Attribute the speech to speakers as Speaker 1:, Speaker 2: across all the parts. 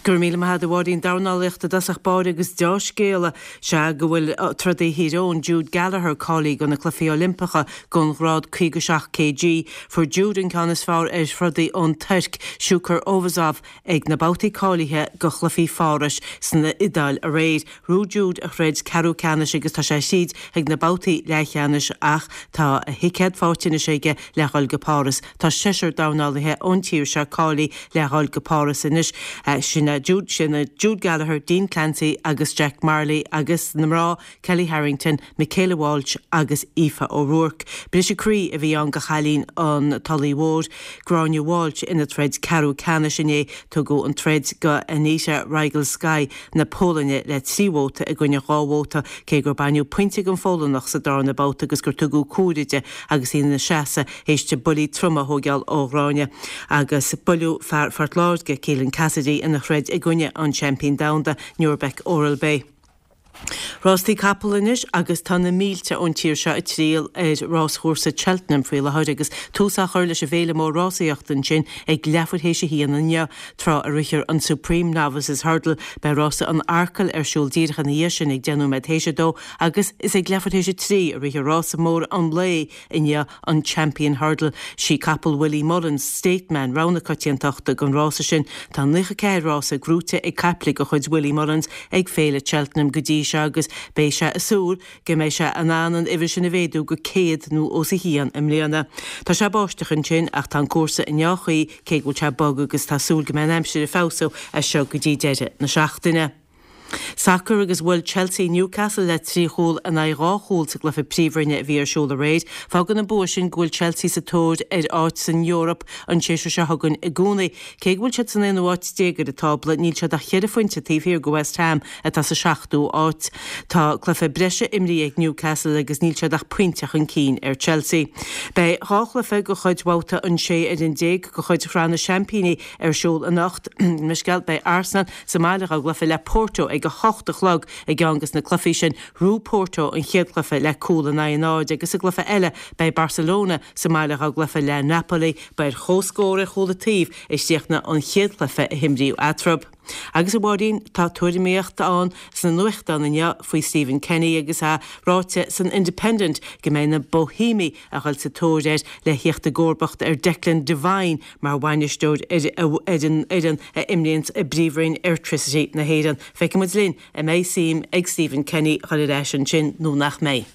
Speaker 1: Go raibh míle maith agat a Mháirín. Dornálaíocht i dtosach báire agus deá-scéala sea go bhfuil trodaí Thír Eoghain, Jude Gallagher, cáilithe do na Cluichí Oilimpeacha don ghrád 57 kg. Fuair Jude an ceann is fearr ar throdaí ón Tuirc, Sukur Ovazov, ag na babhtaí cáilithe do Chluichí Phárais san Iodáil aréir. Ghnóthaigh Jude a throid ceathrú ceannais agus tá sé thríd chuig na babhtaí leathcheannais ach tá a thicéad faighte anois aige le dhul go Páras. Tá seisear dornálaithe ón tír seo cáilithe le dhul go Páras anois. Sin Jude, sin Jude Gallagher, Dean Clancy agus Jack Marley agus na mná Kellie Harrington, Michaela Walsh agus Aoife O'Rourke. Briseadh croí a bhí ann do chailín an Tulaigh Mhóir, Gráinne Walsh ina troid ceathrú ceannais inné. Tugadh an troid do Anita Rygielska na Polainne le 3 vóta i gcoinne 2 vóta, cé gur baineadh pointe den Pholannach sa darna babhta agus gur tugadh cúire di agus í ina seasamh théis di buillí troma a thóigeáil ó Ghráinne. Agus buaileadh fear Phort Láirge, Keelan Cassidy, ina throid i gcoinne an seaimpín domhanda, Nurbek Oralbay. Rástaí capall anois agus tá na mílte ón tír seo ag triall ar ráschúrsa Cheltenham faoi láthair agus tús á chur leis an bhféile mór rásaíochta ansin ag leathuair théis a haon inniu, tráth a rithfear an Supreme Novices Hurdle. Beidh rása an Arkle ar siúl díreach ina dhiaidh sin ag 10 nóiméad théis a dó agus is ag leathuair théis a trí a rithfear rása mór an lae inniu, an Champion Hurdle. Sí capall Willie Mullins, State Man, rogha na coitiantachta don rása sin. Tá 94 rása gnóite ag caiple de chuid Willie Mullins ag Féile Cheltenham go dtí seo agus beidh sé ag súil go mbeidh sé in ann an uimhir sin a mhéadú go 100 nó os a chionn i mbliana. Tá sé báisteach ansin ach tá an cúrsa i ndea-chaoi cé go bhfuil sé bog agus tá súil go mbeidh an aimsir ag feabhsú as seo go dtí deireadh na seachtaine. Sacar agus bhuail Chelsea Newcastle le 3 chúl in aghaidh 2 chúl sa gcluiche Príomhroinne a bhí ar siúl aréir. Fágann an bua sin go bhfuil Chelsea sa tóir ar áit san Eoraip an séasúr seo chugainn i gcónaí. Cé go bhfuil siad san aonú áit déag ar an tábla, níl siad ach cheithre phointe taobh thiar de West Ham atá sa seachtú áit. Tá cluiche breise imrithe ag Newcastle agus níl siad ach pointe chun cinn ar Chelsea. Beidh dhá chluiche de chuid bhabhta an 16 ar de chuid Shraith na Seaimpíní ar siúl anocht. Misceal, beidh Arsenal sa mbaile dá gcluiche le Porto ag 8 a chlog i gceann des na cluichí sin. Ghnóthaigh Porto an chéad chluiche le cúl in aghaidh a náid agus sa gcluiche eile beidh Barcelona sa mbaile dá gcluiche le Napoli. Ba ar chomhscór ar chúl an taobh a chríochnaigh an chéad chluiche a himríodh eatarthu. Agus a Mháirín, tá tuairimíocht ann sna nuachtáin inniu faoi Stephen Kenny agus é ráite san Independent go mbeidh na Boihéamaigh a dhul sa tóir air le thíocht i gcomharbacht ar Declan Devine mar bhainisteoir ar an fhoireann a imríonns i bPríomhroinn Airtricity na hÉireann. Feicfidh muid linn an mbeidh suim ag Stephen Kenny dhul ar ais ansin nó nach mbeidh.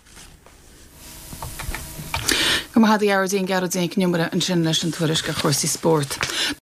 Speaker 2: Go raibh maith agat a Ghearóidín, Gearóidín Nic an Iomaire ansin leis an tuairisc ar chúrsaí spóirt.